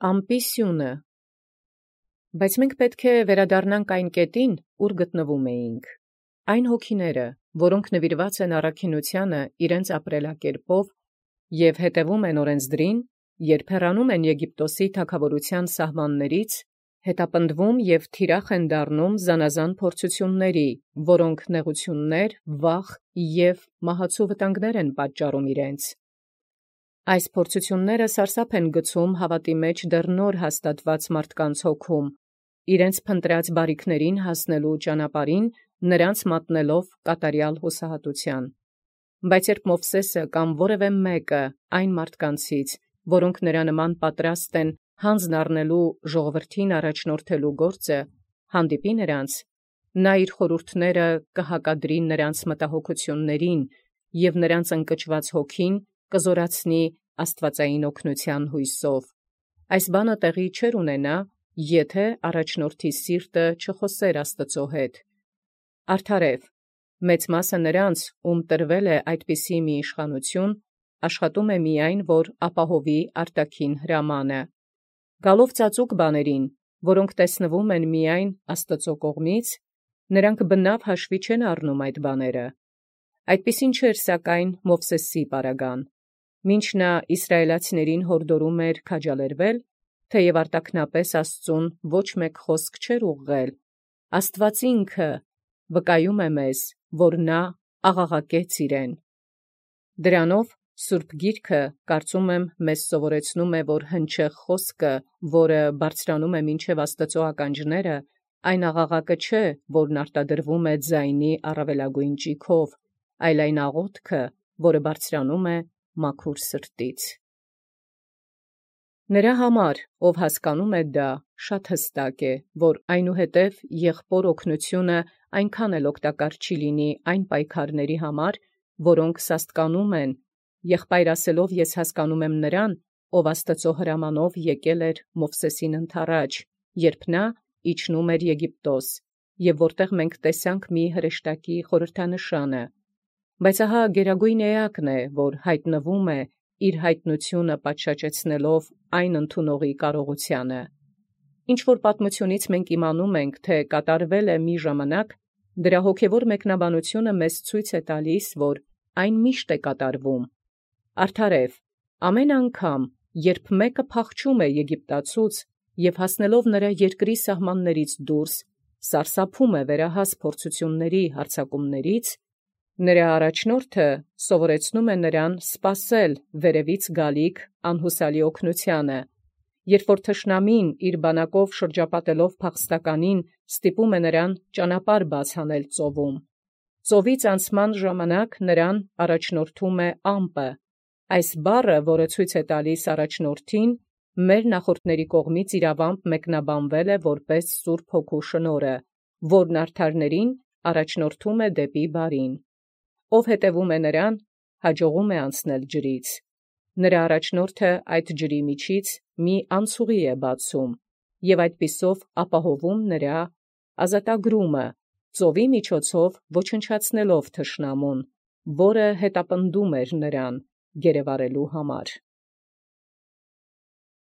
Ամպիսյունը։ Բայց մենք պետք է վերադառնանք այն կետին, ուր գտնվում էինք. այն հոգիները, որոնք նվիրված են առաքինութիւնն իրենց ապրելակերպով և հետևում են օրենսդրին, երբ հեռանում են Եգիպտոսի թագաւորութեան սահմանացից, հետապնդվում և թիրախ են դառնում զանազան փորձութիւնացն, որոնք նեղութիւններ, վախ և մահացու վտանգներ են պատճառում իրենց։ Այս փորձութիւնները սարսափ են գցում հաւատի մեջ դեռ նոր հաստատուած մարդկանց հոգում, իրենց փնտրած բարիքներին հասնելու ճանապարհին նրանց մատնելով կատարյալ հուսահատութեան։ Բայց երբ Մովսէսը կամ որևէ մեկը այն մարդկանցից, որոնք նրա նման պատրաստ են հանձն առնելու ժողովրդին առաջնորդելու գործը, հանդիպի նրանց, նա իր խորհուրդները կհակադրի նրանց մտահոգութիւնացն և նրանց ընկճված հոգին կզորացնի աստուածեղէն օգնութեան յուսով։ Այս բանը տեղի չէր ունենա, եթէ առաջնորդի սիրտը չխօսէր Աստուծոյ հետ։ Արդարեւ, մեծ մասը նրանց, ում տրվել է այդպիսի մի իշխանութիւն, աշխատում է միայն, որ ապահովի արտաքին հրամանը։ Գալով ծածուկ բաներին, որոնք տեսնվում են միայն Աստուծոյ կողմից, նրանք բնաւ հաշվի չեն առնում այդ բաները։ Այդպիսին չէր սակայն Մովսէսի պարագան։ Մինչ նա Իսրայելացիներին յորդորում էր քաջալերվել, թեև արտաքնապես Աստուծոյ ոչ մեկ խոսք չէր ուղղել, Աստուած ինքը վկայում է մեզ, որ նա աղաղակեց իրեն։ Դրանով Սուրբ Գիրքը, կարծում եմ, մեզ սովորեցնում է, որ հնչեղ խոսքը, որը բարձրանում է մինչև Աստուծոյ ականջները, այն աղաղակը չէ, որն արտադրվում է ձայնի առավելագոյն ճիգով, այլ այն աղոթքը, որը բարձրանում է մաքուր սրտից։ Նրա համար, ով հասկանում է դա, շատ հստակ է, որ այնուհետև եղբոր օգնութիւնը այնքան էլ օգտակար չի լինի այն պայքարացն համար, որոնք սաստկանում են, եղբայր ասելով ես հասկանում եմ նրան, ով Աստուծոյ հրամանով եկել էր Մովսէսին ընդառաջ, երբ նա իջնում էր Եգիպտոս, և որտեղ մենք տեսանք մի հրեշտակի խորհրդանշանը։ Բայց ահա գերագույն էակն է, որ յայտնվում է, իր յայտնութիւնը պատշաճեցնելով այն ընդունողի կարողութեանը։ Ինչ որ պատմությունից մենք իմանում ենք, թէ կատարվել է մի ժամանակ, դրա հոգևոր մեկնաբանութիւնը մեզ ցույց է տալիս, որ այն միշտ է կատարվում։ Արդարեւ, ամեն անգամ, երբ մեկը փախչում է Եգիպտացուց և հասնելով նրա երկրի սահմանացից դուրս, սարսափում է վերահաս փորձութիւնացն հարձակումացից, նրա առաջնորդը սովորեցնում է նրան սպասել վերևից գալիք անհուսալի օգնութեանը, երբ որ թշնամին իր բանակով շրջապատելով փախստականին ստիպում է նրան ճանապարհ բաց հանել ծովում։ Ծովից անցման ժամանակ նրան առաջնորդում է ամպը։ Այս բառը, որը ցույց է տալիս առաջնորդին, մեր նախորդների կողմից իրավամբ մեկնաբանվել է որպես Սուրբ Հոգու շնորհը, որն արդարներին առաջնորդում է դեպի բարին։ Ով հետևում է նրան, հաջողում է անցնել ջրից։ Նրա առաջնորդը այդ ջրի միջից մի անցուղի է բացում, և այդպիսով ապահովում նրա ազատագրումը, ծովի միջոցով ոչնչացնելով թշնամուն, որը հետապնդում էր նրան գերեվարելու համար։